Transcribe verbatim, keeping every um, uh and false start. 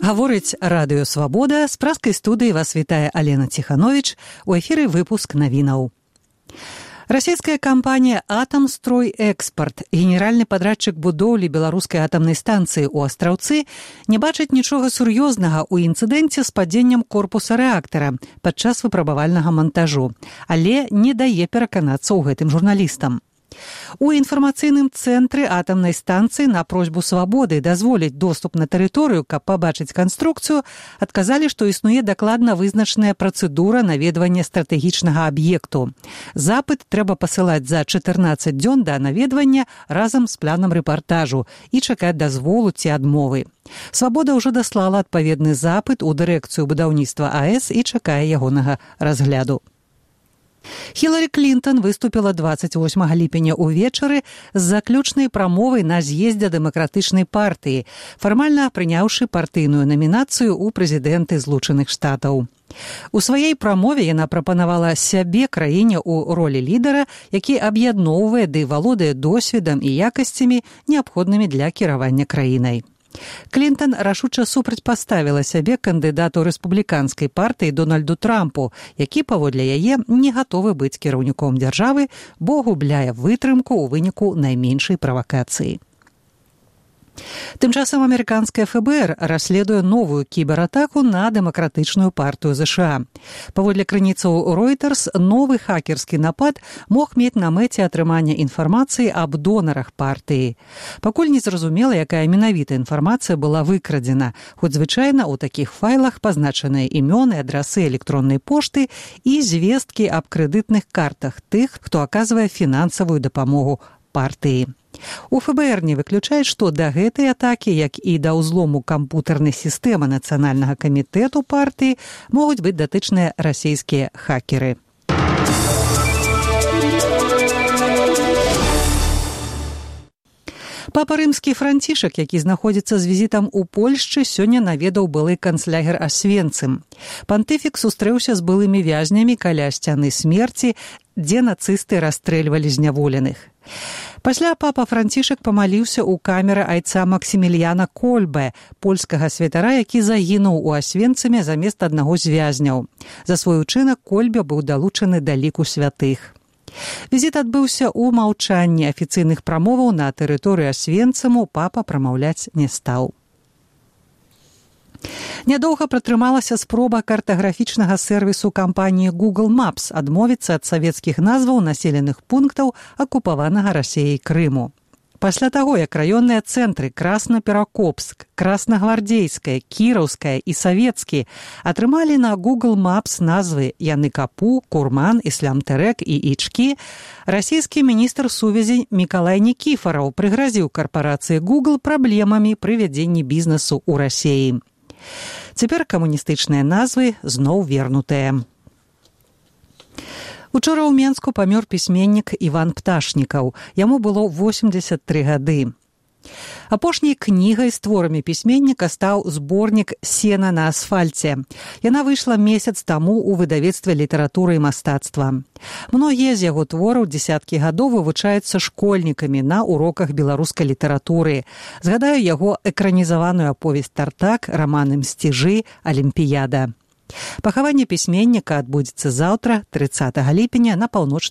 Гаворыць Радыё Свабода, з праскай студыі вас вітае Алена Ціхановіч, у эфіры выпуск навінаў. Расійская кампанія «Атамстройэкспарт», генеральны падрадчык будоўлі беларускай атамнай станцыі ў Астраўцы, не бачыць нічога сур'ёзнага ў інцыдэнце з падзеннем корпуса рэактара падчас выпрабавальнага мантажу, але не дае пераканацца ў гэтым журналістам. У інфармацыйным цэнтры атамнай станцыі на просьбу «Свабоды» дазволіць доступ на тэрыторыю, каб пабачыць канструкцыю, адказалі, што існуе дакладна вызначаная працэдура наведвання стратэгічнага аб'екту. Запыт трэба пасылаць за чатырнаццаць дзён да наведвання разам з планам рэпартажу і чакаць дазволу ці адмовы. «Свабода» ўжо даслала адпаведны запыт у дырэкцыю будаўніцтва АЭС і чакае ягонага разгляду. Хіларі Клінтон выступіла дваццаць восьмага ліпеня ўвечары з заключнай прамовай на з'ездзе дэмакратычнай партыі, фармальна прыняўшы партыйную намінацыю ў прэзідэнты Злучаных Штатаў. У сваёй прамове яна прапанавала сябе краіне ў ролі лідара, які аб'ядноўвае ды валодае досведам і якасцямі, неабходнымі для кіравання краінай. Клінтон рашуча супрацьпаставіла сябе кандыдату рэспубліканскай партыі Дональду Трампу, які, паводле яе, не гатовы быць кіраўніком дзяржавы, бо губляе вытрымку ў выніку найменшай правакацыі. Тым часам амерыканскае эф бэ эр расследуе новую кібератаку на дэмакратычную партыю ЗША. Паводле крыніцаў Reuters, новы хакерскі напад мог мець на мэце атрымання інфармацыі аб донарах партыі. Пакуль не зразумела, якая менавіта інфармацыя была выкрадзена, хоць звычайна ў такіх файлах пазначаныя імёны, адрасы электроннай пошты і звесткі аб крэдытных картах тых, хто аказвае фінансавую дапамогу партыі. У эф бэ эр не выключаюць, што да гэтай атакі, як і да ўзлому кампутарнай сістэмы нацыянальнага камітэту партыі, могуць быць датычныя расійскія хакеры. Папа рымскі Францішак, які знаходзіцца з візітам у Польшчы, сёння наведаў былы канцлягер Асвенцым. Пантыфік сустрэўся з былымі вязнямі каля сцяны смерці, дзе нацысты расстрэльвалі зняволеных. Пасля папа Францішак памаліўся ў камеры айца Максіміліяна Кольбе, польскага святара, які загінуў у Асвенцыме замест аднаго з вязняў. За свой учынак Кольбе быў далучаны да ліку святых. Візіт адбыўся ў маўчанні, афіцыйных прамоваў на тэрыторыі Асвенцыму папа прамаўляць не стаў. Нядоўга пратрымалася спроба картаграфічнага сервісу кампаніі Google Maps адмовіцца ад савецкіх назваў населеных пунктаў акупаванага Расіяй Крыму. Пасля таго, як раённыя цэнтры Красна-Перакопск, Краснагвардзейская, Кіраўская і Савецкі атрымалі на Google Maps назвы Яныкапу, Курман, Іслам-Тэрэк і Ічкі, расійскі міністр сувязі Мікалай Нікіфараў прыгразіў карпорацыі Google праблемамі пры вядзенні бізнесу ў Расіі. Цяпер камуністычныя назвы зноў вернутыя. Учора ў Менску памёр пісьменнік Іван Пташнікаў. Яму было восемдзесят тры гады. Апошняй кнігай з творамі пісьменніка стаў зборнік «Сена на асфальце». Яна выйшла месяц таму ў выдавецтве літаратуры і мастацтва. Многія з яго твораў дзесяткі гадоў вывучаюцца школьнікамі на уроках беларускай літаратуры. Згадаю яго экранізаваную аповесць «Тартак», раманы «Мсціжы», «Алімпіяда». Пахаванне пісьменніка адбудзецца заўтра, трыццатага ліпеня, на паўночным